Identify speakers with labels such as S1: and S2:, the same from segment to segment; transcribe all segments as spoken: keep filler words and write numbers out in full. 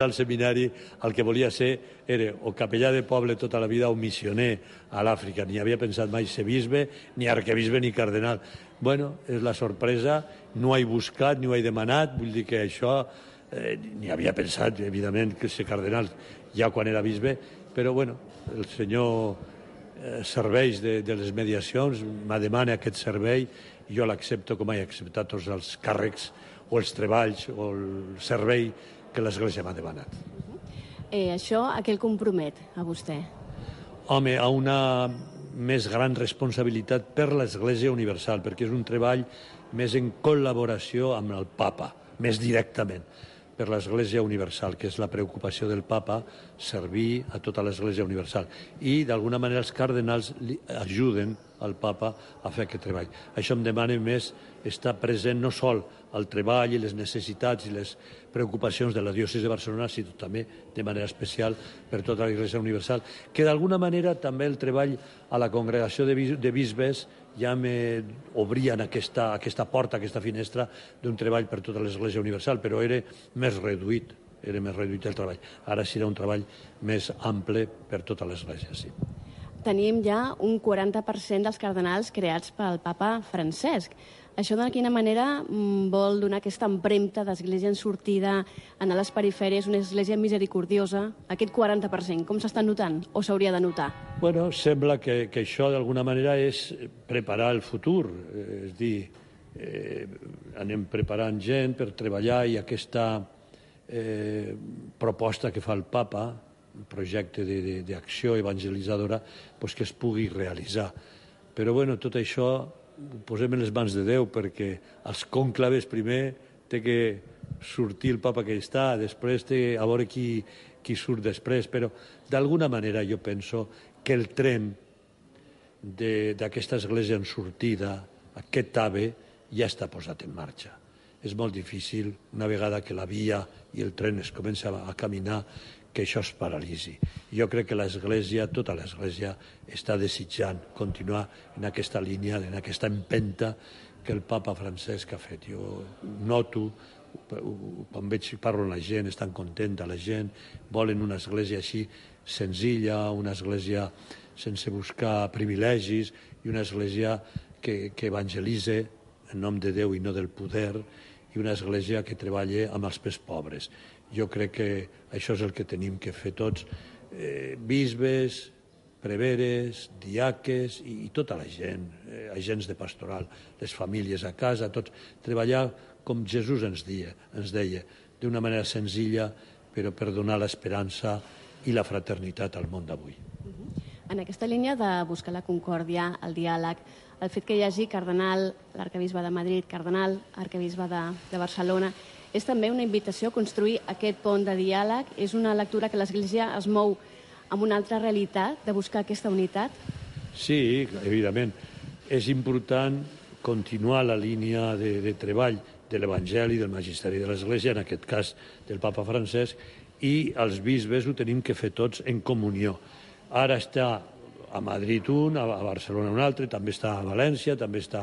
S1: al seminari el que volia ser era o capellà de poble tota la vida o missioner a l'Àfrica. Ni havia pensat mai ser bisbe, ni arquebisbe, ni cardenal. Bueno, és la sorpresa, no ho he buscat, ni ho he demanat, vull dir que això eh, ni havia pensat, evidentment, que ser cardenal ja quan era bisbe, però bueno, el senyor eh, serveix de, de les mediacions, me demana aquest servei, i jo l'accepto com he acceptat tots els càrrecs o els treballs o el servei que l'Església m'ha demanat.
S2: Eh, això a què el compromet, a vostè?
S1: Home, a una més gran responsabilitat per l'Església Universal, perquè és un treball més en col·laboració amb el papa, més directament, per l'Església Universal, que és la preocupació del papa, servir a tota l'Església Universal. I, d'alguna manera, els cardenals li ajuden al papa a fer aquest treball. Això em demana més estar present no sol al treball i les necessitats i les preocupacions de la diòcesi de Barcelona, sinó també de manera especial per tota l'Església Universal, que d'alguna manera també el treball a la congregació de, bis de bisbes ja m'obrien aquesta, aquesta porta, aquesta finestra d'un treball per tota l'Església Universal, però era més reduït, era més reduït el treball. Ara serà un treball més ample per tota l'Església, sí.
S2: Tenim ja un quaranta per cent dels cardenals creats pel papa Francesc. Això de quina manera vol donar aquesta empremta d'església en sortida, anar a les perifèries, una església misericordiosa, aquest quaranta per cent, com s'està notant o s'hauria de notar?
S1: Bueno, sembla que, que això d'alguna manera és preparar el futur, és dir, eh, anem preparant gent per treballar i aquesta eh, proposta que fa el papa, un projecte d'acció evangelitzadora, pues que es pugui realitzar. Però bueno, tot això ho posem en les mans de Déu, perquè als conclaves primer té que sortir el papa que està, després té a veure qui, qui surt després, però d'alguna manera jo penso que el tren d'aquesta església en sortida, aquest AVE, ja està posat en marxa. És molt difícil, una vegada que la via i el tren es comença a caminar, que això es paralitzi. Jo crec que l'Església, tota l'Església, està desitjant continuar en aquesta línia, en aquesta empenta que el papa Francesc ha fet. Jo noto, quan veig, parlo amb la gent, estan contenta la gent, volen una església així senzilla, una església sense buscar privilegis i una església que, que evangelitze en nom de Déu i no del poder, i una església que treballa amb els més pobres. Jo crec que això és el que tenim que fer tots, eh, bisbes, preveres, diaques i, i tota la gent, eh, agents de pastoral, les famílies a casa, tots, treballar com Jesús ens deia, ens deia, d'una manera senzilla, però per donar l'esperança i la fraternitat al món d'avui.
S2: En aquesta línia de buscar la concòrdia, el diàleg, el fet que hi hagi cardenal, l'arquebisbe de Madrid, cardenal, arquebisbe de, de Barcelona, és també una invitació a construir aquest pont de diàleg? És una lectura que l'Església es mou amb una altra realitat, de buscar aquesta unitat?
S1: Sí, evidentment. És important continuar la línia de, de treball de l'Evangeli, del Magisteri de l'Església, en aquest cas del papa Francesc, i els bisbes ho tenim que fer tots en comunió. Ara està a Madrid un, a Barcelona un altre, també està a València, també està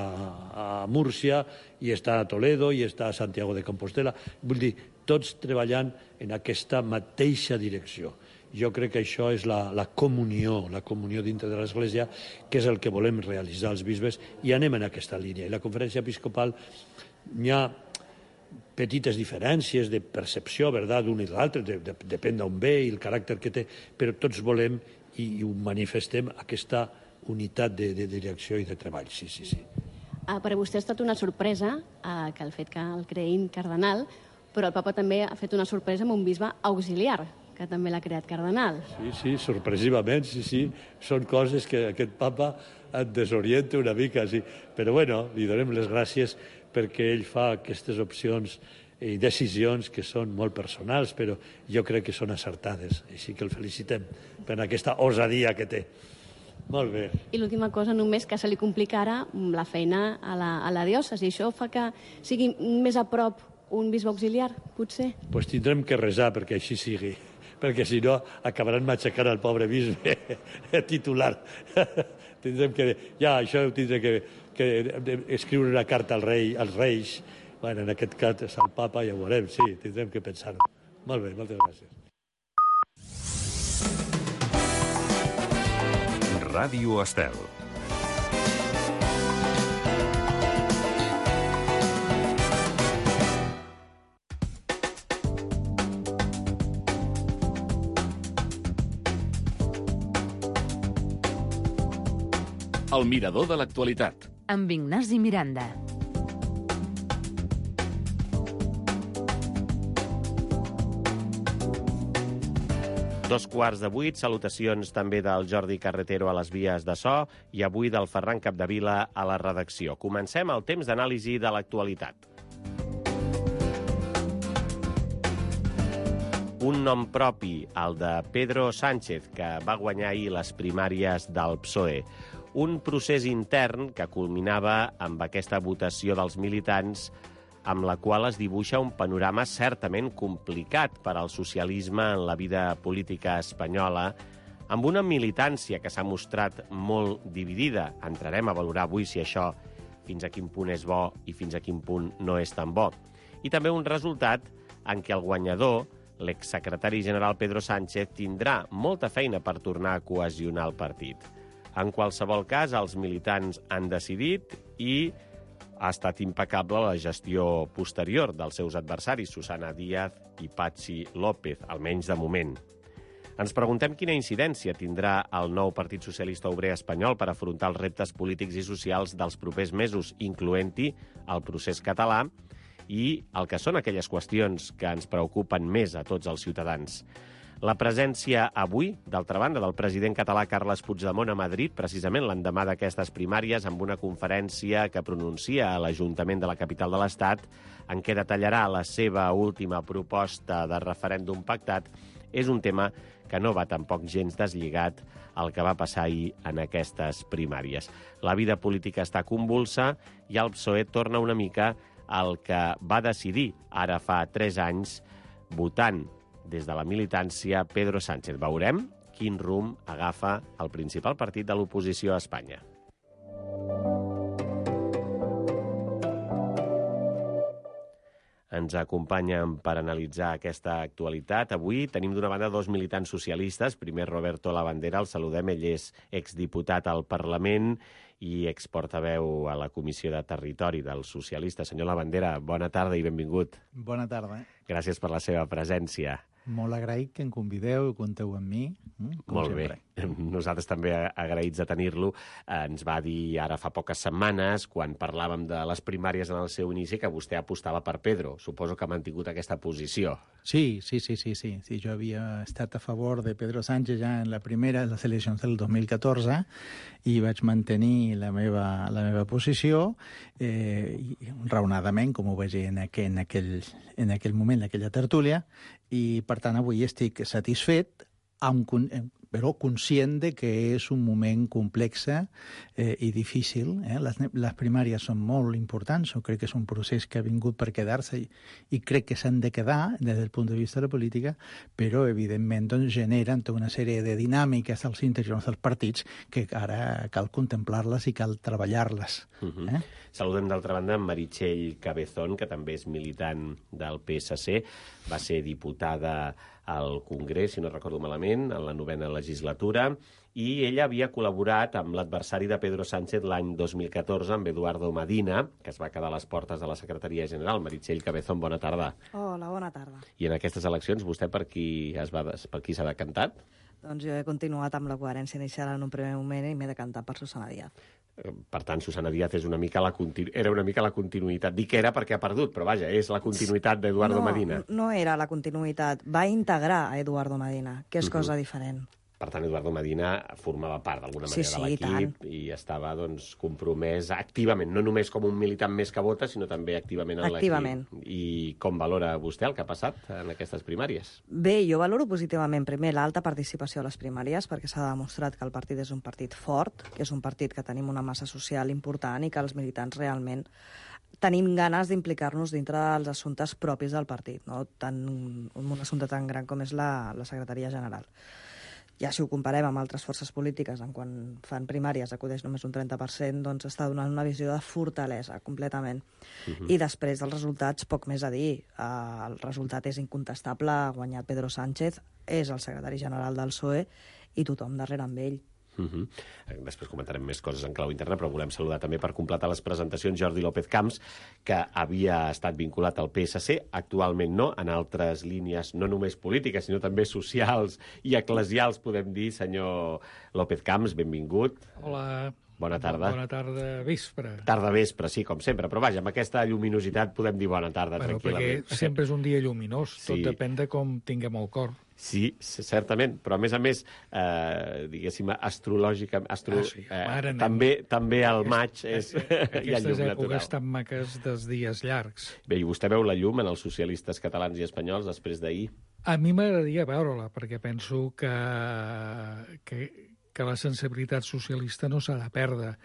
S1: a Múrcia, i està a Toledo, i està a Santiago de Compostela. Vull dir, tots treballant en aquesta mateixa direcció. Jo crec que això és la, la comunió, la comunió dintre de l'Església, que és el que volem realitzar els bisbes, i anem en aquesta línia. I la conferència episcopal hi ha petites diferències de percepció, verdad, d'un i l'altre, de, de, depèn d'on ve i el caràcter que té, però tots volem i ho manifestem, aquesta unitat de, de direcció i de treball, sí, sí, sí.
S2: Ah, per a vostè ha estat una sorpresa eh, que el fet que el creïn cardenal, però el papa també ha fet una sorpresa amb un bisbe auxiliar, que també l'ha creat cardenal.
S1: Sí, sí, sorpresivament, sí, sí. Són coses que aquest papa et desorienta una mica, sí. Però bueno, li donem les gràcies perquè ell fa aquestes opcions i decisions que són molt personals, però jo crec que són acertades. Així que el felicitem per aquesta osadia que té. Molt bé.
S2: I l'última cosa només, que se li complica ara la feina a la, a la diòcesi. Això fa que sigui més a prop un bisbe auxiliar, potser?
S1: Doncs pues tindrem que resar perquè així sigui, perquè si no acabaran matxacant el pobre bisbe titular. Tindrem que... Ja, això ho tindrem que, que escriure una carta al rei, als reis. Bueno, en aquest cas és el papa, ja ho veurem, sí, tindrem que pensar-ho. Molt bé, moltes gràcies.
S3: Ràdio Estel.
S4: El mirador de l'actualitat.
S5: Amb Ignasi Miranda.
S6: Dos quarts de vuit, salutacions també del Jordi Carretero a les vies de so i avui del Ferran Capdevila a la redacció. Comencem el temps d'anàlisi de l'actualitat. Un nom propi, el de Pedro Sánchez, que va guanyar ahir les primàries del P S O E. Un procés intern que culminava amb aquesta votació dels militants amb la qual es dibuixa un panorama certament complicat per al socialisme en la vida política espanyola, amb una militància que s'ha mostrat molt dividida. Entrarem a valorar avui si això fins a quin punt és bo i fins a quin punt no és tan bo. I també un resultat en què el guanyador, l'exsecretari general Pedro Sánchez, tindrà molta feina per tornar a cohesionar el partit. En qualsevol cas, els militants han decidit i ha estat impecable la gestió posterior dels seus adversaris, Susana Díaz i Patxi López, almenys de moment. Ens preguntem quina incidència tindrà el nou Partit Socialista Obrer Espanyol per afrontar els reptes polítics i socials dels propers mesos, incloent-hi el procés català i el que són aquelles qüestions que ens preocupen més a tots els ciutadans. La presència avui, d'altra banda, del president català Carles Puigdemont a Madrid, precisament l'endemà d'aquestes primàries, amb una conferència que pronuncia a l'Ajuntament de la capital de l'Estat, en què detallarà la seva última proposta de referèndum pactat, és un tema que no va tampoc gens deslligat al que va passar ahir en aquestes primàries. La vida política està convulsa i el P S O E torna una mica al que va decidir ara fa tres anys, votant des de la militància Pedro Sánchez. Veurem quin rumb agafa el principal partit de l'oposició a Espanya. Ens acompanyen per analitzar aquesta actualitat. Avui tenim d'una banda dos militants socialistes. Primer, Roberto Labandera, el saludem. Ell és exdiputat al Parlament i exportaveu a la Comissió de Territori dels Socialistes. Senyor Labandera, bona tarda i benvingut.
S7: Bona tarda.
S6: Gràcies per la seva presència.
S7: Molt agraït que em convideu i compteu amb mi, com
S6: Molt
S7: sempre.
S6: bé. Nosaltres també agraïts de tenir-lo. Ens va dir ara fa poques setmanes, quan parlàvem de les primàries en el seu inici, que vostè apostava per Pedro. Suposo que ha mantingut aquesta posició.
S7: Sí, sí, sí, sí, sí. sí jo havia estat a favor de Pedro Sánchez ja en la primera, en les eleccions del dos mil catorze, i vaig mantenir la meva, la meva posició eh, raonadament, com ho vaig dir en aquell, en aquell, en aquell moment, en aquella tertúlia, i per tant avui estic satisfet, amb, però conscient de que és un moment complex eh, i difícil. Eh? Les, les primàries són molt importants, jo crec que és un procés que ha vingut per quedar-se i, i crec que s'han de quedar des del punt de vista de la política, però evidentment doncs, generen tota una sèrie de dinàmiques als interiors dels partits que ara cal contemplar-les i cal treballar-les.
S6: Uh-huh. eh? Saludem d'altra banda en Meritxell Cabezón, que també és militant del P S C, va ser diputada al Congrés, si no recordo malament, en la novena legislatura, i ella havia col·laborat amb l'adversari de Pedro Sánchez l'any dos mil catorze, amb Eduardo Medina, que es va quedar a les portes de la Secretaria General. Meritxell Cabezón, bona tarda.
S8: Hola, bona tarda.
S6: I en aquestes eleccions, vostè per qui es va, per qui s'ha decantat?
S8: Doncs jo he continuat amb la coherència inicial en un primer moment i m'he decantat per Susana Díaz.
S6: Per tant, Susana Díaz és una mica la continu... era una mica la continuïtat. Dic que era perquè ha perdut, però vaja, és la continuïtat d'Eduardo
S8: no,
S6: Medina.
S8: No era la continuïtat, va integrar a Eduardo Medina, que és uh-huh. cosa diferent.
S6: Per tant, Eduardo Medina formava part d'alguna manera
S8: sí, sí,
S6: de l'equip i, i estava doncs, compromès activament, no només com un militant més que vota, sinó també activament en
S8: activament.
S6: l'equip. I com valora vostè el que ha passat en aquestes primàries?
S8: Bé, jo valoro positivament primer l'alta participació a les primàries, perquè s'ha demostrat que el partit és un partit fort, que és un partit que tenim una massa social important i que els militants realment tenim ganes d'implicar-nos dintre dels assumptes propis del partit, no? Tant, un, un assumpte tan gran com és la, la secretaria general. ja si ho comparem amb altres forces polítiques, en quan fan primàries acudeix només un trenta per cent, doncs està donant una visió de fortalesa, completament. Uh-huh. I després dels resultats, poc més a dir. Uh, el resultat és incontestable, ha guanyat Pedro Sánchez, és el secretari general del P S O E i tothom darrere amb ell.
S6: Uh-huh. Després comentarem més coses en clau interna, però volem saludar també per completar les presentacions Jordi López Camps, que havia estat vinculat al P S C, actualment no, en altres línies no només polítiques, sinó també socials i eclesials, podem dir. Senyor López Camps, benvingut.
S3: Hola.
S6: Bona tarda.
S3: Bona tarda, vespre.
S6: Tarda vespre, sí, com sempre, però vaja, amb aquesta lluminositat podem dir bona tarda,
S3: bueno,
S6: tranquil·lament.
S3: Perquè sempre és un dia lluminós, sí. Tot depèn de com tinguem el cor.
S6: Sí, certament, però a més a més, eh, diguéssim, astrològica, astro... ah, sí. eh, també, també al maig és...
S3: Aquestes èpoques tan maques dels dies llargs.
S6: Bé, i vostè veu la llum en els socialistes catalans i espanyols després d'ahir?
S3: A mi m'agradaria veure-la, perquè penso que, que, que la sensibilitat socialista no s'ha de perdre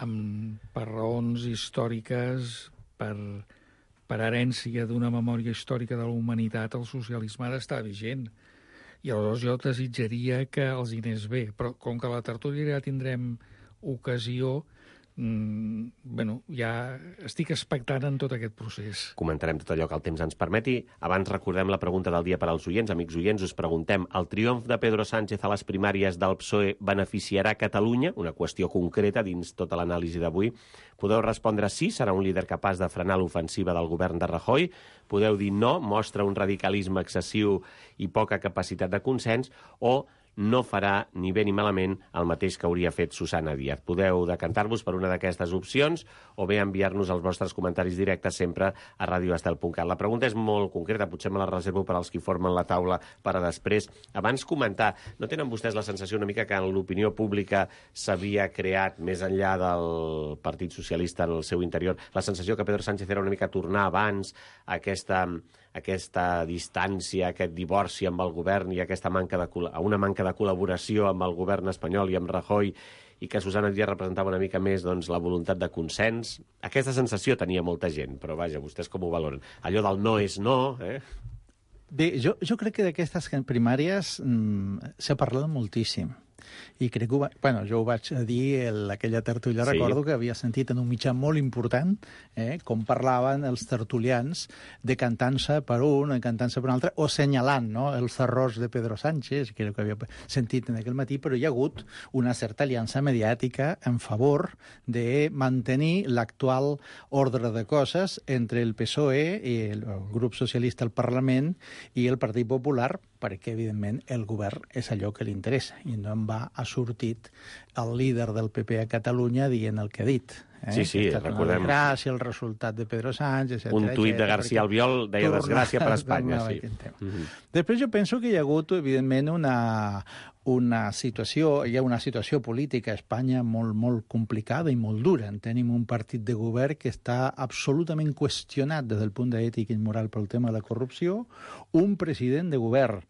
S3: amb, per raons històriques, per, per herència d'una memòria històrica de la humanitat. El socialisme ha d'estar vigent. I aleshores jo desitjaria que els hi anés bé, però com que a la tertúlia ja tindrem ocasió, mmm, bueno, ja estic expectant en tot aquest procés.
S6: Comentarem tot allò que el temps ens permeti. Abans recordem la pregunta del dia per als oients. Amics oients, us preguntem: el triomf de Pedro Sánchez a les primàries del P S O E beneficiarà Catalunya? Una qüestió concreta dins tota l'anàlisi d'avui. Podeu respondre sí, serà un líder capaç de frenar l'ofensiva del govern de Rajoy. Podeu dir no, mostra un radicalisme excessiu i poca capacitat de consens, o no farà ni bé ni malament el mateix que hauria fet Susana Díaz. Podeu decantar-vos per una d'aquestes opcions o bé enviar-nos els vostres comentaris directes sempre a radio estel punt cat. La pregunta és molt concreta, potser me la reservo per als qui formen la taula per a després. Abans comentar, no tenen vostès la sensació una mica que en l'opinió pública s'havia creat, més enllà del Partit Socialista en el seu interior, la sensació que Pedro Sánchez era una mica tornar abans a aquesta, aquesta distància, aquest divorci amb el govern i aquesta manca de, una manca de col·laboració amb el govern espanyol i amb Rajoy, i que Susana Díaz representava una mica més doncs, la voluntat de consens? Aquesta sensació tenia molta gent, però vaja, vostès com ho valoren? Allò del no és no, eh?
S7: Bé, jo, jo crec que d'aquestes primàries mm, s'ha parlat moltíssim. I crec que, ho va, bueno, jo ho vaig dir en aquella tertúlia, sí. Recordo que havia sentit en un mitjà molt important eh, com parlaven els tertulians decantant-se per un, decantant-se per un altre, o assenyalant no, els errors de Pedro Sánchez, que era el que havia sentit en aquell matí, però hi ha hagut una certa aliança mediàtica en favor de mantenir l'actual ordre de coses entre el P S O E i el grup socialista al Parlament i el Partit Popular, perquè, evidentment, el govern és allò que li interessa, i no en va ha sortit el líder del P P a Catalunya dient el que ha dit. Eh?
S6: Sí, sí, recordem.
S7: Gràcia, el resultat de Pedro Sánchez, etcètera.
S6: Un tuit de García Albiol deia desgràcia per Espanya, sí.
S7: Mm-hmm. Després jo penso que hi ha hagut, evidentment, una, una situació, hi ha una situació política a Espanya molt, molt complicada i molt dura. Tenim un partit de govern que està absolutament qüestionat des del punt d'ètica i moral pel tema de la corrupció, un president de govern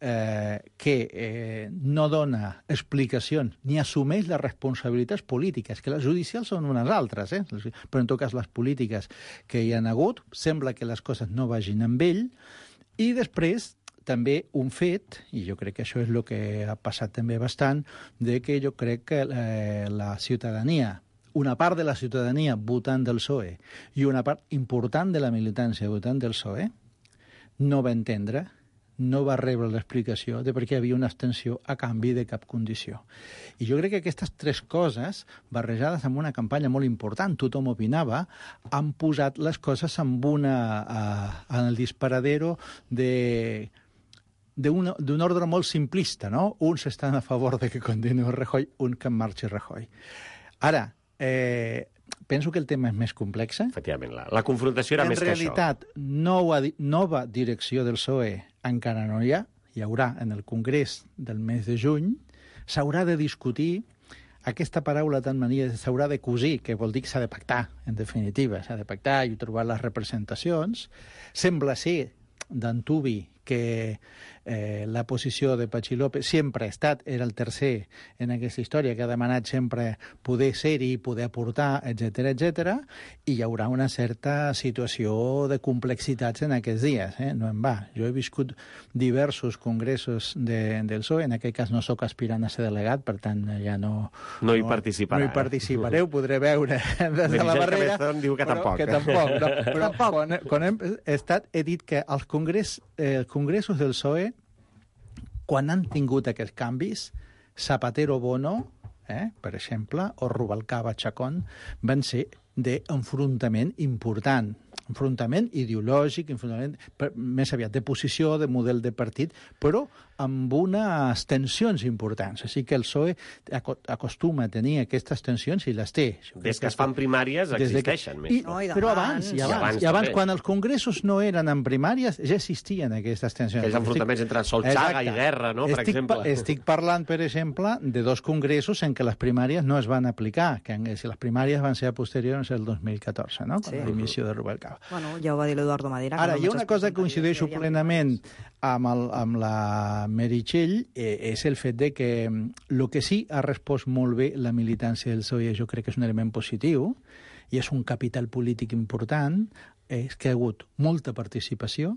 S7: Eh, que eh, no dona explicacions ni assumeix les responsabilitats polítiques, que les judicials són unes altres, eh? Però en tot cas les polítiques que hi han hagut, sembla que les coses no vagin amb ell, i després també un fet, i jo crec que això és el que ha passat també bastant, de que jo crec que eh, la ciutadania, una part de la ciutadania votant del P S O E i una part important de la militància votant del P S O E no va entendre, no va rebre l'explicació de per què hi havia una abstenció a canvi de cap condició. I jo crec que aquestes tres coses, barrejades amb una campanya molt important, tothom opinava, han posat les coses amb una, uh, en el disparadero de d'un ordre molt simplista, no? Uns estan a favor de que continuï Rajoy, un que en marxi Rajoy. Ara, eh, penso que el tema és més complex.
S6: Efectivament, la, la confrontació era
S7: en
S6: més que això.
S7: En realitat, nova, nova direcció del P S O E encara no hi ha, hi haurà en el Congrés del mes de juny, s'haurà de discutir aquesta paraula tan mania, s'haurà de cosir, que vol dir que s'ha de pactar, en definitiva, s'ha de pactar i trobar les representacions. Sembla ser d'antubi que eh, la posició de Patxi López sempre ha estat, era el tercer en aquesta història, que ha demanat sempre poder ser-hi, poder aportar, etcètera, etcètera, i hi haurà una certa situació de complexitats en aquests dies, eh? No en va. Jo he viscut diversos congressos de, del P S O E, en aquest cas no sóc aspirant a ser delegat, per tant ja no...
S6: No hi participarà.
S7: No hi participaré, ho podré veure des de la barrera.
S6: Cabezón diu que tampoc.
S7: Que tampoc, no, però quan, quan hem estat, he dit que els, congrés, eh, els congressos del P S O E, quan han tingut aquests canvis, Zapatero Bono, eh, per exemple, o Rubalcaba Chacón, van ser d'enfrontament important. Enfrontament ideològic, enfrontament més aviat de posició, de model de partit, però amb unes tensions importants. Així que el P S O E acostuma a tenir aquestes tensions i les té.
S6: Des que es fan primàries existeixen
S7: més. I, no, i però abans, i abans, i abans, i abans quan els congressos no eren en primàries, ja existien aquestes tensions.
S6: Aquells enfrontaments estic... entre Solchaga i Guerra, no? Per
S7: estic,
S6: exemple.
S7: Estic parlant, per exemple, de dos congressos en què les primàries no es van aplicar, que si les primàries van ser a posteriors al dos mil catorze, no? Con sí. l'emissió de Rubalcaba.
S8: Bueno, ja ho va dir l'Eduardo Madera.
S7: Ara,
S8: no
S7: hi ha una cosa que coincideixo plenament amb, el, amb la Meritxell, eh, és el fet de que el que sí ha respost molt bé la militància del P S O E, jo crec que és un element positiu, i és un capital polític important, és que hi ha hagut molta participació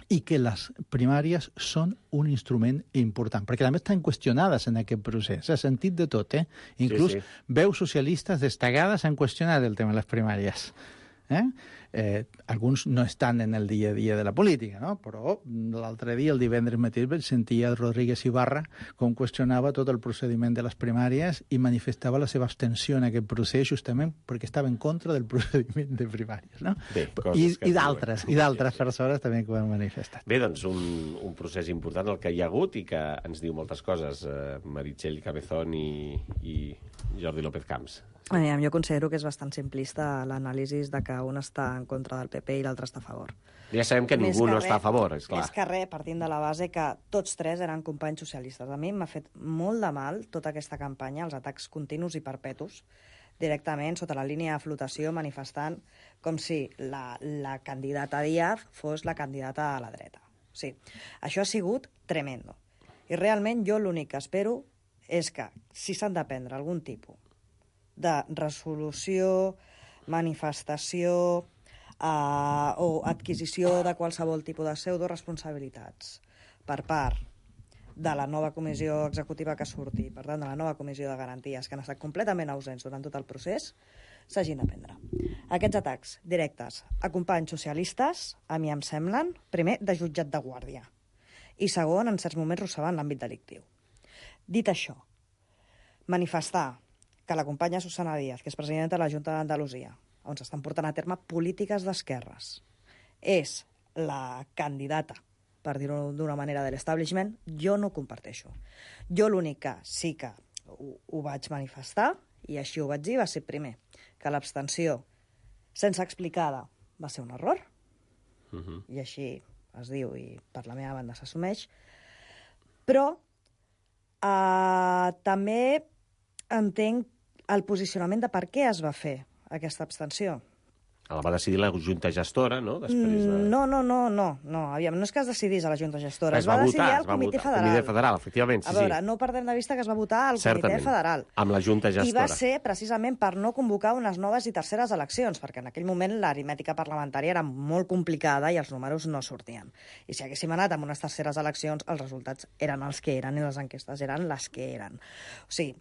S7: i que les primàries són un instrument important, perquè també estan qüestionades en aquest procés, s'ha sentit de tot, eh? Inclús sí, sí. veus socialistes destacades han qüestionat el tema de les primàries. Eh? Eh, alguns no estan en el dia a dia de la política, no? Però l'altre dia, el divendres matí, sentia Rodríguez Ibarra com qüestionava tot el procediment de les primàries i manifestava la seva abstenció en aquest procés justament perquè estava en contra del procediment de primàries, no?
S6: Bé,
S7: I, i d'altres, i d'altres persones també que ho han manifestat.
S6: Bé, doncs un, un procés important el que hi ha hagut i que ens diu moltes coses, eh, Meritxell Cabezón i, i Jordi López Camps.
S8: Eh, jo considero que és bastant simplista l'anàlisi de que un està en contra del P P i l'altre està a favor.
S6: Ja sabem que ningú no està a favor, és clar.
S8: Més que res, partint de la base que tots tres eren companys socialistes. A mi m'ha fet molt de mal tota aquesta campanya, els atacs continus i perpetus, directament sota la línia de flotació manifestant com si la, la candidata Díaz fos la candidata a la dreta. Sí, això ha sigut tremendo. I realment jo l'únic que espero és que, si s'han de prendre algun tipus de resolució, manifestació eh, o adquisició de qualsevol tipus de pseudo-responsabilitats per part de la nova comissió executiva que surti, per tant, de la nova comissió de garanties, que han estat completament ausents durant tot el procés, s'hagin de prendre. Aquests atacs directes a companys socialistes, a mi em semblen, primer, de jutjat de guàrdia, i segon, en certs moments rossegant l'àmbit delictiu. Dit això, manifestar que la companya Susana Díaz, que és presidenta de la Junta d'Andalusia, on s'estan portant a terme polítiques d'esquerres, és la candidata, per dir-ho d'una manera, de l'establishment, jo no ho comparteixo. Jo l'únic que sí que ho, ho vaig manifestar, i així ho vaig dir, va ser primer, que l'abstenció sense explicada va ser un error, uh-huh. i així es diu, i per la meva banda s'assumeix, però eh, també entenc el posicionament de per què es va fer aquesta abstenció.
S6: La va decidir la Junta Gestora, no? Després de...
S8: No, no, no, no, no, aviam, no és que es decidís a la Junta Gestora, es, es va, va decidir votar, al Comitè Federal.
S6: El Comitè Federal, efectivament, sí,
S8: a veure,
S6: sí.
S8: no perdem de vista que es va votar al
S6: Certament,
S8: Comitè Federal.
S6: Amb la Junta Gestora.
S8: I va ser precisament per no convocar unes noves i terceres eleccions, perquè en aquell moment l'aritmètica parlamentària era molt complicada i els números no sortien. I si haguéssim anat amb unes terceres eleccions, els resultats eren els que eren i les enquestes eren les que eren. O sigui,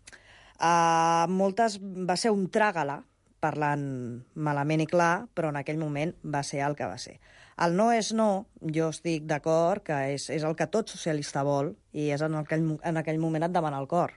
S8: uh, moltes va ser un tràgala, parlant malament i clar, però en aquell moment va ser el que va ser. El no és no, jo estic d'acord que és, és el que tot socialista vol i és en aquell, en aquell moment et demana el cor.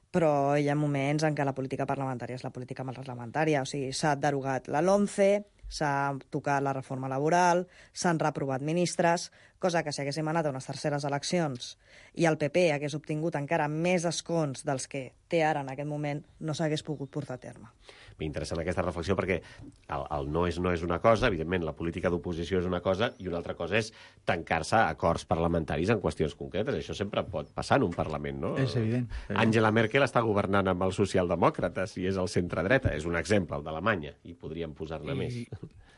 S8: Però hi ha moments en què la política parlamentària és la política parlamentària, o sigui, s'ha derogat la LOMCE, s'ha tocat la reforma laboral, s'han reprovat ministres, cosa que si haguéssim anat a unes terceres eleccions i el P P hagués obtingut encara més escons dels que té ara en aquest moment, no s'hagués pogut portar a terme.
S6: M'interessa aquesta reflexió perquè el, el no és no és una cosa, evidentment la política d'oposició és una cosa i una altra cosa és tancar-se a acords parlamentaris en qüestions concretes. Això sempre pot passar en un Parlament, no?
S7: És evident.
S6: Angela Merkel està governant amb els socialdemòcrates i és el centre-dreta. És un exemple, el d'Alemanya, i podríem posar-ne més.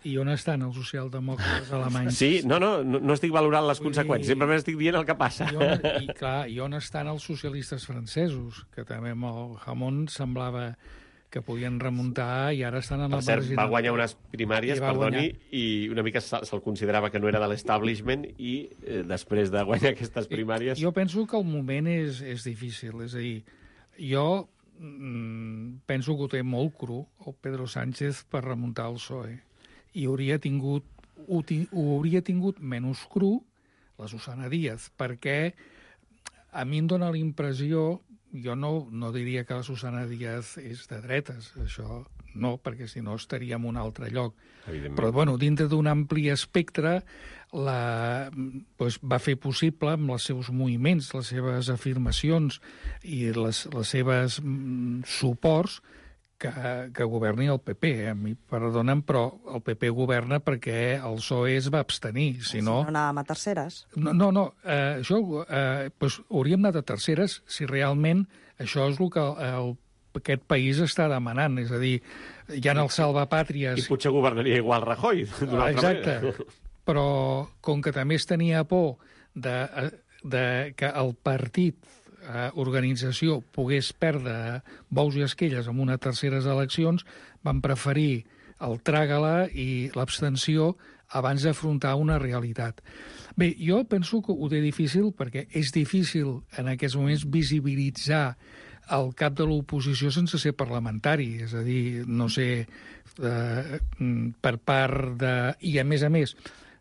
S3: I on estan els socialdemòcrates alemanys?
S6: Sí, no, no, no, no estic valorant les
S3: Vull
S6: conseqüències,
S3: dir-
S6: simplement estic dient el que passa.
S3: I on, i, clar, I on estan els socialistes francesos? Que també amb el Hamon semblava que podien remuntar i ara estan en
S6: Per
S3: la
S6: cert,
S3: margina.
S6: va guanyar unes primàries,
S3: I va
S6: perdoni,
S3: guanyar.
S6: i una mica se- se'l considerava que no era de l'establishment i eh, després de guanyar aquestes primàries...
S3: Jo penso que el moment és, és difícil. És a dir, jo mm, penso que ho té molt cru, el Pedro Sánchez, per remuntar el P S O E. I hauria tingut, ho, ti- ho hauria tingut menys cru la Susana Díaz, perquè a mi em dóna la impressió, jo no, no diria que la Susana Díaz és de dretes, això no, perquè si no estaria en un altre lloc.
S6: Evidentment.
S3: Però, bueno, dintre d'un ampli espectre, la, doncs, va fer possible, amb els seus moviments, les seves afirmacions i les, les seves mm, suports, que, que governi el P P. A mi, perdonen, però el P P governa perquè el P S O E es va abstenir. Si no,
S8: Si no anàvem a terceres.
S3: no, no, no eh, això eh, doncs, hauríem anat a terceres si realment això és el que el, aquest país està demanant. És a dir, hi ha els salvapàtries...
S6: I potser governaria igual Rajoy, d'una altra
S3: Exacte.
S6: manera.
S3: Però com que també es tenia por de, de que el partit, eh, organització, pogués perdre bous i esquelles en unes terceres eleccions, van preferir el tràgala i l'abstenció abans d'afrontar una realitat. Bé, jo penso que ho té difícil perquè és difícil en aquests moments visibilitzar el cap de l'oposició sense ser parlamentari, és a dir, no sé, eh, per part de... I, a més a més,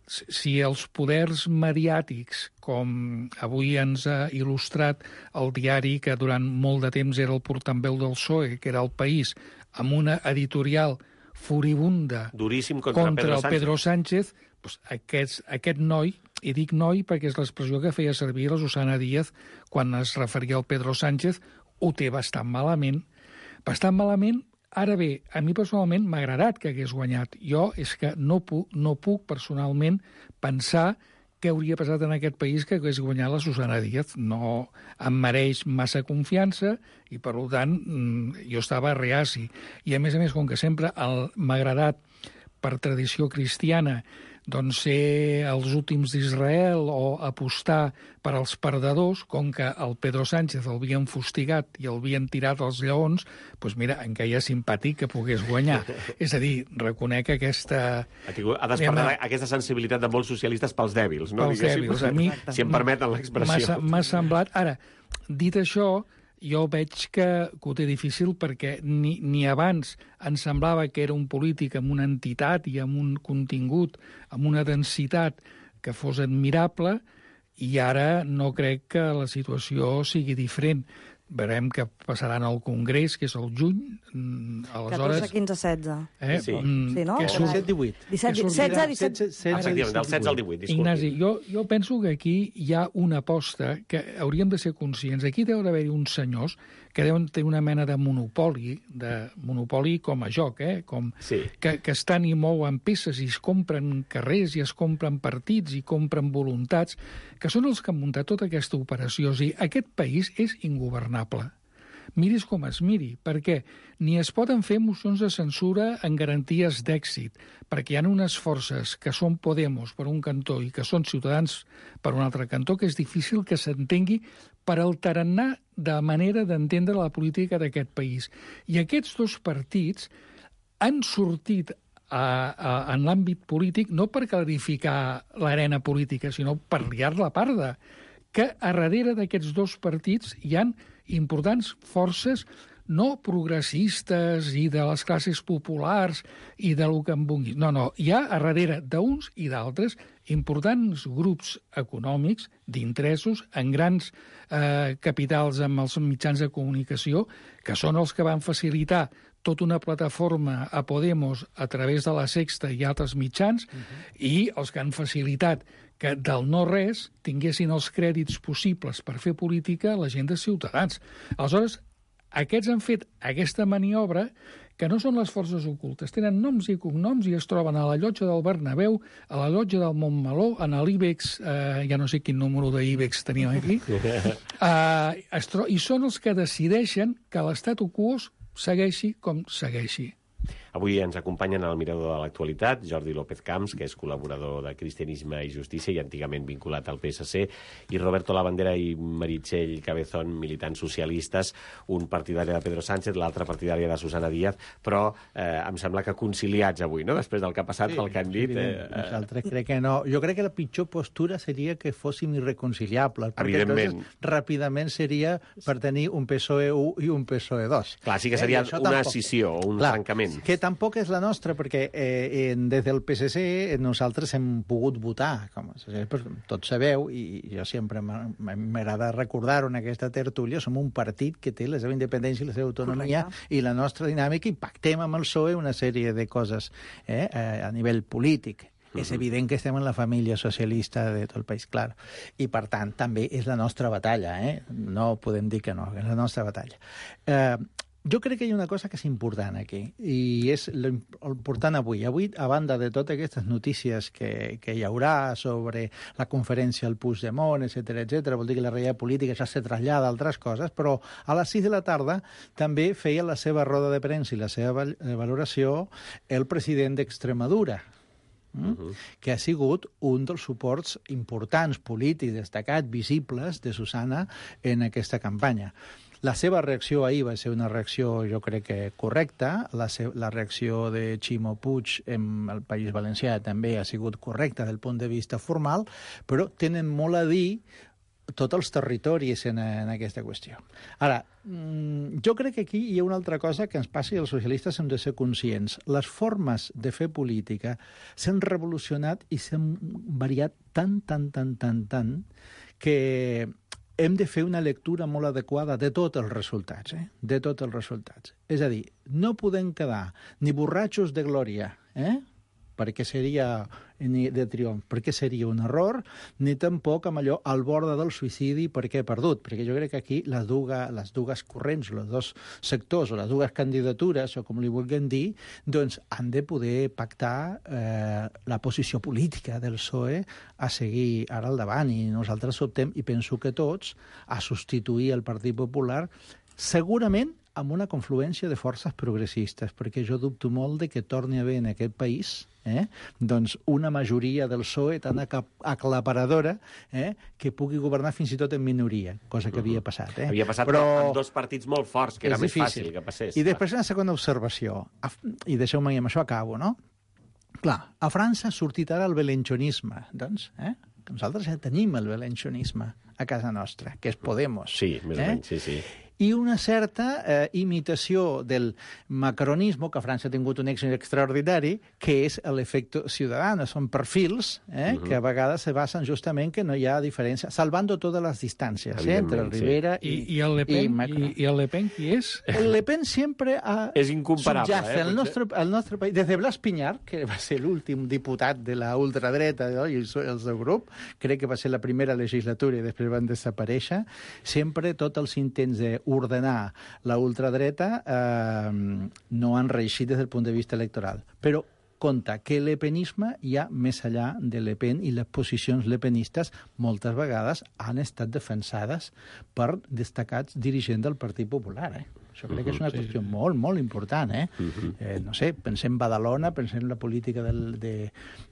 S3: si els poders mediàtics, com avui ens ha il·lustrat el diari que durant molt de temps era el portaveu del P S O E, que era El País, amb una editorial furibunda
S6: Duríssim contra,
S3: contra
S6: Pedro
S3: el
S6: Sánchez.
S3: Pedro Sánchez, doncs aquest, aquest noi, i dic noi perquè és l'expressió que feia servir la Susana Díaz quan es referia al Pedro Sánchez, ho té bastant malament. Bastant malament. Ara bé, a mi personalment m'ha agradat que hagués guanyat. Jo és que no puc, no puc personalment pensar què hauria passat en aquest país que hagués guanyat la Susana Díaz. No em mereix massa confiança i, per tant, jo estava reaci. I, a més a més, com que sempre el- m'ha agradat, per tradició cristiana, doncs ser els últims d'Israel o apostar per als perdedors, com que el Pedro Sánchez el havien fustigat i el havien tirat als lleons, doncs mira, em queia simpàtic que pogués guanyar. És a dir, reconec aquesta...
S6: Ha, tingut, ha despertat aquesta sensibilitat de molts socialistes pels dèbils, no?
S3: Pels
S6: Diguéssim.
S3: dèbils. A mi
S6: si em permeten
S3: m'ha
S6: l'expressió.
S3: m'ha semblat... Ara, dit això, jo veig que, que ho té difícil perquè ni, ni abans em semblava que era un polític amb una entitat i amb un contingut, amb una densitat que fos admirable, i ara no crec que la situació sigui diferent. Veurem què passarà al Congrés, que és el juny. Mm, Aleshores...
S8: catorze, quinze, setze.
S3: Eh?
S6: Sí.
S3: Mm,
S8: Sí, no?
S3: que
S8: Era-
S3: surt-
S7: disset divuit.
S8: disset,
S3: que sortirà-
S8: setze, disset...
S6: Efectivament, del setze al divuit, disculpi.
S3: Ignasi, jo, jo penso que aquí hi ha una aposta que hauríem de ser conscients. Aquí deu d'haver-hi uns senyors que deuen tenir una mena de monopoli, de monopoli com a joc, eh? com,
S6: Sí.
S3: que, que estan i mouen peces i es compren carrers i es compren partits i compren voluntats, que són els que han muntat tota aquesta operació. O sigui, aquest país és ingovernable. Miris com es miri, perquè ni es poden fer mocions de censura en garanties d'èxit, perquè hi ha unes forces que són Podemos per un cantó i que són Ciutadans per un altre cantó, que és difícil que s'entengui per el tarannà de manera d'entendre la política d'aquest país. I aquests dos partits han sortit a, a, en l'àmbit polític no per clarificar l'arena política, sinó per liar-la parda, que a darrere d'aquests dos partits hi han importants forces no progressistes i de les classes populars i de lo que en vulgui. No, no, hi ha a darrere d'uns i d'altres importants grups econòmics d'interessos en grans eh, capitals amb els mitjans de comunicació, que són els que van facilitar tota una plataforma a Podemos a través de la Sexta i altres mitjans, uh-huh. i els que han facilitat que del no-res tinguessin els crèdits possibles per fer política la gent de Ciutadans. Aleshores, aquests han fet aquesta maniobra que no són les forces ocultes. Tenen noms i cognoms i es troben a la llotja del Bernabéu, a la llotja del Montmeló, en l'Ibex, eh, ja no sé quin número d'Ibex tenim aquí, eh, es tro- i són els que decideixen que l'estatus quo segueixi com segueixi.
S6: Avui ens acompanyen al Mirador de l'Actualitat Jordi López Camps, que és col·laborador de Cristianisme i Justícia i antigament vinculat al P S C, i Roberto Labandera i Meritxell Cabezón, militants socialistes, un partidari de Pedro Sánchez, l'altre partidari de Susana Díaz, però eh, em sembla que conciliats avui, no?, després del que ha passat, sí, pel que han dit. Eh,
S7: Nosaltres crec que no. Jo crec que la pitjor postura seria que fóssim irreconciliables, perquè
S6: evidentment,
S7: entonces ràpidament seria per tenir un P S O E u i un P S O E dos.
S6: Clar, sí que seria eh, una tampoc... escissió o un Clar, trencament.
S7: Que tampoc és la nostra, perquè eh, des del P S C nosaltres hem pogut votar, com tots sabeu, i jo sempre m'agrada recordar-ho en aquesta tertúlia, som un partit que té la seva independència i la seva autonomia Correcte. I la nostra dinàmica, i pactem amb el P S O E una sèrie de coses eh, a nivell polític. Uh-huh. És evident que estem en la família socialista de tot el país, clar. I, per tant, també és la nostra batalla, eh? No podem dir que no, és la nostra batalla. Eh, jo crec que hi ha una cosa que és important aquí, i és l'important avui. Avui, a banda de totes aquestes notícies que, que hi haurà sobre la conferència al Puigdemont, etcètera, etcètera, vol dir que la realitat política ja se trasllada a altres coses, però a les sis de la tarda també feia la seva roda de premsa i la seva valoració el president d'Extremadura, Mm? Uh-huh. que ha sigut un dels suports importants, polítics, destacats, visibles de Susana en aquesta campanya. La seva reacció ahir va ser una reacció, jo crec que correcta. La, la reacció de Ximo Puig en el País Valencià també ha sigut correcta del punt de vista formal, però tenen molt a dir tots els territoris en, en aquesta qüestió. Ara, jo crec que aquí hi ha una altra cosa que ens passa i els socialistes hem de ser conscients. Les formes de fer política s'han revolucionat i s'han variat tant, tant, tant, tant, tant, que hem de fer una lectura molt adequada de tots els resultats, eh? de tots els resultats. És a dir, no podem quedar ni borratxos de glòria, eh? perquè seria de triomf, perquè seria un error, ni tampoc amb allò al bord del suïcidi perquè he perdut, perquè jo crec que aquí les dues, les dues corrents, els dos sectors o les dues candidatures, o com li vulguem dir, doncs han de poder pactar eh, la posició política del P S O E a seguir ara al davant, i nosaltres optem, i penso que tots, a substituir el Partit Popular, segurament amb una confluència de forces progressistes, perquè jo dubto molt de que torni a haver en aquest país eh, doncs una majoria del P S O E tan aclaparadora eh, que pugui governar fins i tot en minoria, cosa que havia passat. Eh?
S6: Havia passat però amb dos partits molt forts, que era més difícil. Fàcil que passés.
S7: I després una segona observació, i deixeu-me, i amb això acabo, no? Clar, a França ha sortit ara el belenchonisme, doncs, eh? Nosaltres ja tenim el belenchonisme a casa nostra, que és Podemos.
S6: Sí, més o menys, sí, sí.
S7: I una certa eh, imitació del macronisme, que a França ha tingut un èxit extraordinari, que és l'efecte ciutadano. Són perfils eh, uh-huh. que a vegades se basen justament que no hi ha diferència, salvando totes les distàncies eh, entre el Rivera
S3: sí.
S7: i,
S3: I, i el Le Pen. I, i, I el Le Pen qui és?
S7: El Le Pen sempre ha
S6: és incomparable,
S7: subjacte
S6: eh,
S7: al nostre, al nostre país. Des de Blas Piñar, que va ser l'últim diputat de la ultradreta no? i el seu grup, crec que va ser la primera legislatura i després van desaparèixer, sempre tots els intents de ordenar la ultradreta eh, no han reeixit des del punt de vista electoral. Però compte que el lepenisme hi ha més enllà de Le Pen, i les posicions lepenistes moltes vegades han estat defensades per destacats dirigents del Partit Popular, eh? Això crec que és una sí, qüestió sí. molt, molt important, eh? Uh-huh. eh? No sé, pensem Badalona, pensem en la política del, de,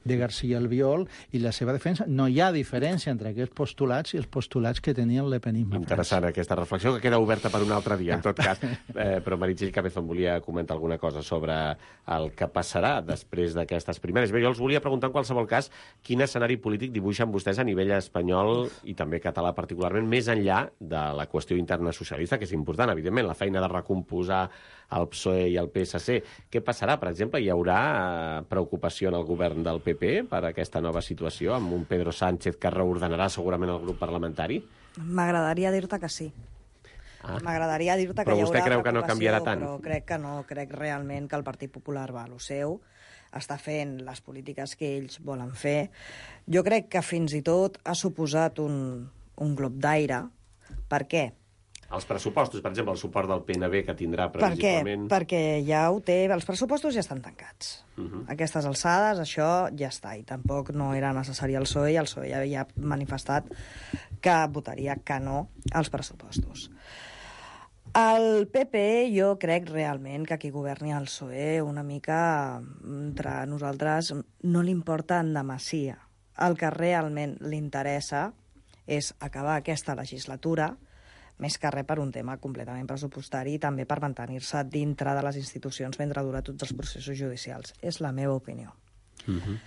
S7: de García Albiol i la seva defensa. No hi ha diferència entre aquests postulats i els postulats que tenia el lepenisme.
S6: Interessant aquesta reflexió, que queda oberta per un altre dia, en tot cas. Eh, però Meritxell Cabezón volia comentar alguna cosa sobre el que passarà després d'aquestes primàries. Bé, jo els volia preguntar, en qualsevol cas, quin escenari polític dibuixen vostès a nivell espanyol i també català particularment, més enllà de la qüestió interna socialista, que és important, evidentment, la feina de recomposar el P S O E i el P S C. Què passarà, per exemple? Hi haurà preocupació en el govern del P P per aquesta nova situació, amb un Pedro Sánchez que reordenarà segurament el grup parlamentari?
S8: M'agradaria dir-te que sí. Ah. M'agradaria dir-te que
S6: però
S8: hi haurà
S6: vostè creu que no canviarà tant?
S8: Però crec que no, crec realment que el Partit Popular va a lo seu, està fent les polítiques que ells volen fer. Jo crec que fins i tot ha suposat un, un glob d'aire. Per què?
S6: Els pressupostos, per exemple, el suport del P N B que tindrà previsiblement...
S8: Per què? Perquè ja ho té... Els pressupostos ja estan tancats. Uh-huh. A aquestes alçades, això ja està. I tampoc no era necessari el P S O E, i el P S O E ja havia manifestat que votaria que no als pressupostos. El P P jo crec realment que qui governi el P S O E una mica entre nosaltres no li importa en demassia. El que realment li interessa és acabar aquesta legislatura, més que res per un tema completament pressupostari i també per mantenir-se dintre de les institucions mentre dura tots els processos judicials. És la meva opinió.
S6: Uh-huh.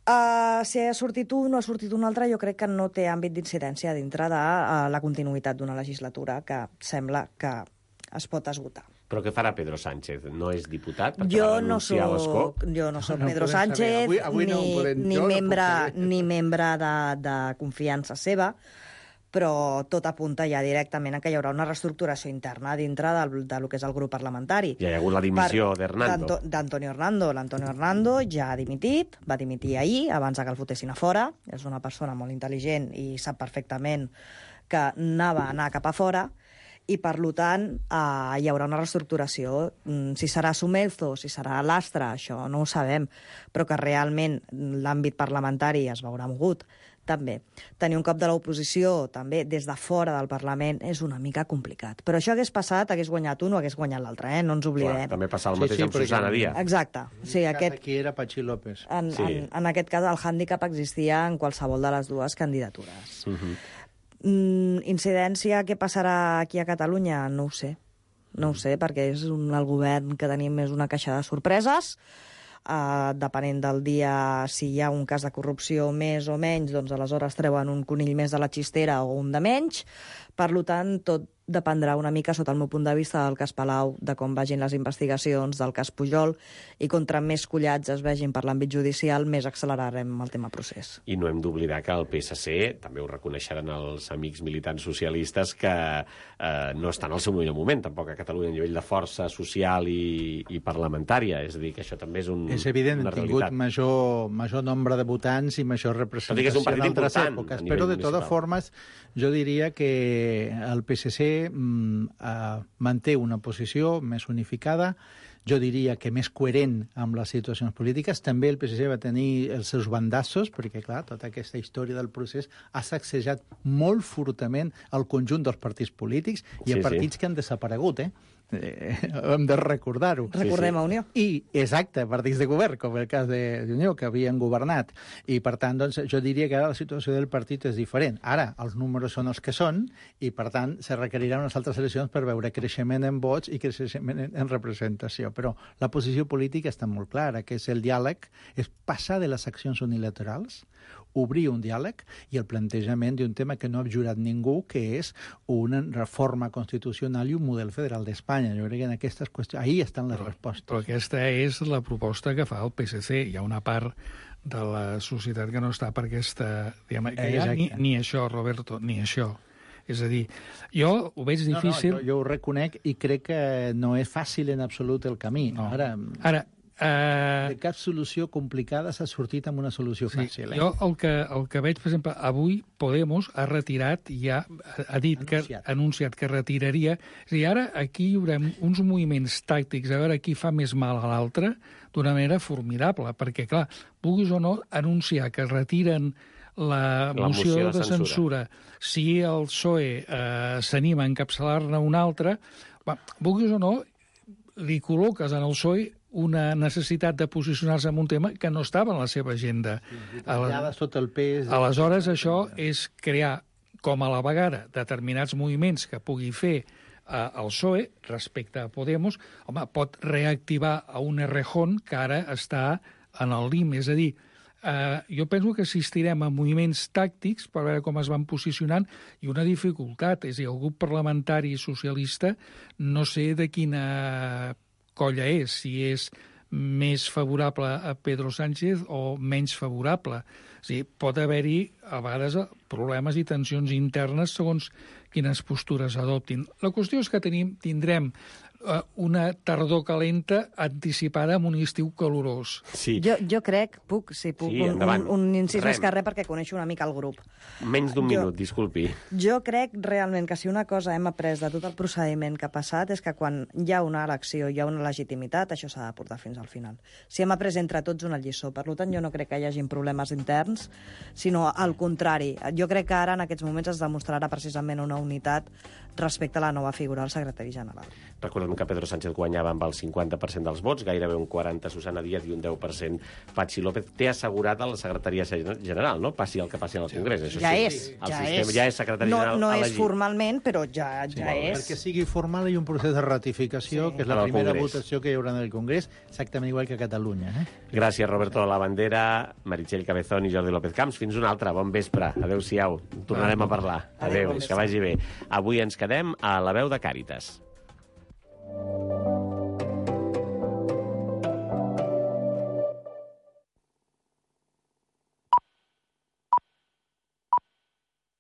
S8: Uh, si ha sortit un o ha sortit un altre, jo crec que no té àmbit d'incidència dintre de uh, la continuïtat d'una legislatura que sembla que es pot esgotar.
S6: Però què farà Pedro Sánchez? No és diputat? Perquè
S8: Jo
S6: va
S8: no
S6: renunciar a l'escó?
S8: soc, jo no soc
S7: No
S8: Pedro
S7: podem saber.
S8: Sánchez,
S7: Avui- avui no ho
S8: ni,
S7: podem-
S8: ni,
S7: jo no puc
S8: membre,
S7: saber.
S8: ni membre de, de confiança seva, però tot apunta ja directament a que hi haurà una reestructuració interna dintre del, de lo que és el grup parlamentari.
S6: Ja hi ha hagut la dimissió
S8: Per-
S6: d'Hernando.
S8: d'Anto- D'Antonio Hernando. L'Antonio Hernando ja ha dimitit, va dimitir ahir, abans que el fotessin a fora. És una persona molt intel·ligent i sap perfectament que anava a anar cap a fora, i per tant eh, hi haurà una reestructuració. Mm, Si serà Sumelzo, si serà Lastra, això no ho sabem, però que realment l'àmbit parlamentari es veurà mogut, també. Tenir un cop de l'oposició, també, des de fora del Parlament, és una mica complicat. Però això hagués passat, hagués guanyat un o hagués guanyat l'altre, eh? No ens oblidem.
S6: Clar, també passa el
S7: Sí,
S6: mateix
S7: sí,
S6: amb
S7: perquè-
S6: Susana Díaz.
S8: Exacte. O sigui, aquest,
S7: Aquí era Pachi López.
S8: en,
S6: Sí.
S8: en, en aquest cas, el hàndicap existia en qualsevol de les dues candidatures.
S6: Uh-huh.
S8: Mm, incidència, què passarà aquí a Catalunya? No ho sé. No ho sé, perquè és un, el govern que tenim és una caixa de sorpreses. Uh, depenent del dia, si hi ha un cas de corrupció més o menys, doncs aleshores treuen un conill més de la xistera o un de menys. Per tant, tot dependrà una mica, sota el meu punt de vista, del cas Palau, de com vagin les investigacions, del cas Pujol, i contra més collats es vegin per l'àmbit judicial, més accelerarem el tema procés.
S6: I no hem d'oblidar que el P S C, també ho reconeixeran els amics militants socialistes, que eh, no estan al seu millor moment, tampoc a Catalunya, a nivell de força social i, i parlamentària. És a dir, que això també és, un,
S7: És evident,
S6: una
S7: han tingut
S6: realitat.
S7: major, major nombre de votants i major
S6: Tot i que és un
S7: representació
S6: partit
S7: en altres
S6: important
S7: èpoques.
S6: a nivell
S7: Però, de totes
S6: municipal.
S7: formes, jo diria que el P S C mm, eh, manté una posició més unificada, jo diria que més coherent amb les situacions polítiques. També el P S C va tenir els seus bandassos, perquè, clar, tota aquesta història del procés ha sacsejat molt fortament el conjunt dels partits polítics i
S6: Sí,
S7: sí,
S6: sí.
S7: partits que han desaparegut, eh? eh hem de recordar-ho.
S8: Recordem a Unió.
S7: I, exacte, partits de govern, com el cas de- d'Unió, que havien governat. I, per tant, doncs, jo diria que ara la situació del partit és diferent. Ara, els números són els que són i, per tant, se requeriran unes altres eleccions per veure creixement en vots i creixement en, en representació. Però la posició política està molt clara, que és el diàleg, és passar de les accions unilaterals, obrir un diàleg i el plantejament d'un tema que no ha jurat ningú, que és una reforma constitucional i un model federal d'Espanya. Jo crec que en aquestes qüestions... Ahí estan les respostes.
S3: Però aquesta és la proposta que fa el P S C. Hi ha una part de la societat que no està per aquesta... Diguem, que ja, ni, ni això, Roberto, ni això. És a dir, jo ho veig difícil...
S7: No, no, jo, jo ho reconec i crec que no és fàcil en absolut el camí.
S3: No.
S7: Ara,
S3: Ara, eh,
S7: de cap solució complicada s'ha sortit amb una solució
S3: sí,
S7: fàcil. Eh?
S3: jo el que, el que veig, per exemple, avui Podemos ha retirat, ja ha dit
S7: Anunciat.
S3: que ha anunciat que retiraria. És a dir, ara aquí hi haurà uns moviments tàctics, a veure qui fa més mal a l'altre, d'una manera formidable, perquè, clar, vulguis o no, anunciar que retiren la,
S6: La
S3: moció,
S6: moció de
S3: de censura, si el P S O E eh, s'anima a encapçalar-ne una altra, va, vulguis o no, li col·loques en el P S O E una necessitat de posicionar-se en un tema que no estava en la seva agenda.
S7: Tallada sota el pes...
S3: Aleshores, això és crear, com a la vegada, determinats moviments que pugui fer eh, el P S O E respecte a Podemos. Home, pot reactivar a un Errejón que ara està en el lim. És a dir, eh, jo penso que assistirem a moviments tàctics per veure com es van posicionant i una dificultat. És a dir, el grup parlamentari socialista no sé de quina colla és, si és més favorable a Pedro Sánchez o menys favorable. O sigui, pot haver-hi, a vegades, problemes i tensions internes segons quines postures adoptin. La qüestió és que tenim, tindrem una tardor calenta anticipada amb un estiu calorós.
S6: Sí.
S8: Jo, jo crec, puc, si puc,
S6: Sí,
S8: un,
S6: endavant.
S8: un, un incís
S6: Rem.
S8: més que res perquè coneixo una mica el grup.
S6: Menys d'un
S8: Jo-
S6: minut, disculpi.
S8: Jo crec realment que si una cosa hem après de tot el procediment que ha passat és que quan hi ha una elecció, hi ha una legitimitat, això s'ha de portar fins al final. Si hem après entre tots una lliçó, per tant jo no crec que hi hagin problemes interns, sinó al contrari. Jo crec que ara en aquests moments es demostrarà precisament una unitat respecte a la nova figura del secretari general.
S6: Recordem que Pedro Sánchez guanyava amb el cinquanta per cent dels vots, gairebé un quaranta per cent Susana Díaz i un deu per cent Patxi López. Té assegurat a la secretaria general, no? Passi el que passi al Congrés. Això
S8: Ja
S6: sí.
S8: és,
S6: El
S8: ja
S6: sistema
S8: és.
S6: ja és secretari
S8: no,
S6: general
S8: no és
S6: elegit.
S8: formalment, però ja, ja
S6: molt bé.
S8: és.
S7: Perquè sigui formal hi ha un procés de ratificació,
S8: Sí.
S7: que és la
S6: En el
S7: primera
S6: Congrés.
S7: votació que hi haurà en el Congrés, exactament igual que a Catalunya. Eh?
S6: Gràcies, Roberto de la Bandera, Meritxell Cabezón i Jordi López Camps. Fins una altra. Bon vespre. Adéu-siau. Tornarem a parlar.
S8: Adéu,
S6: Adéu,
S8: bon
S6: que vagi bé. Avui ens quedem a la veu de Càritas.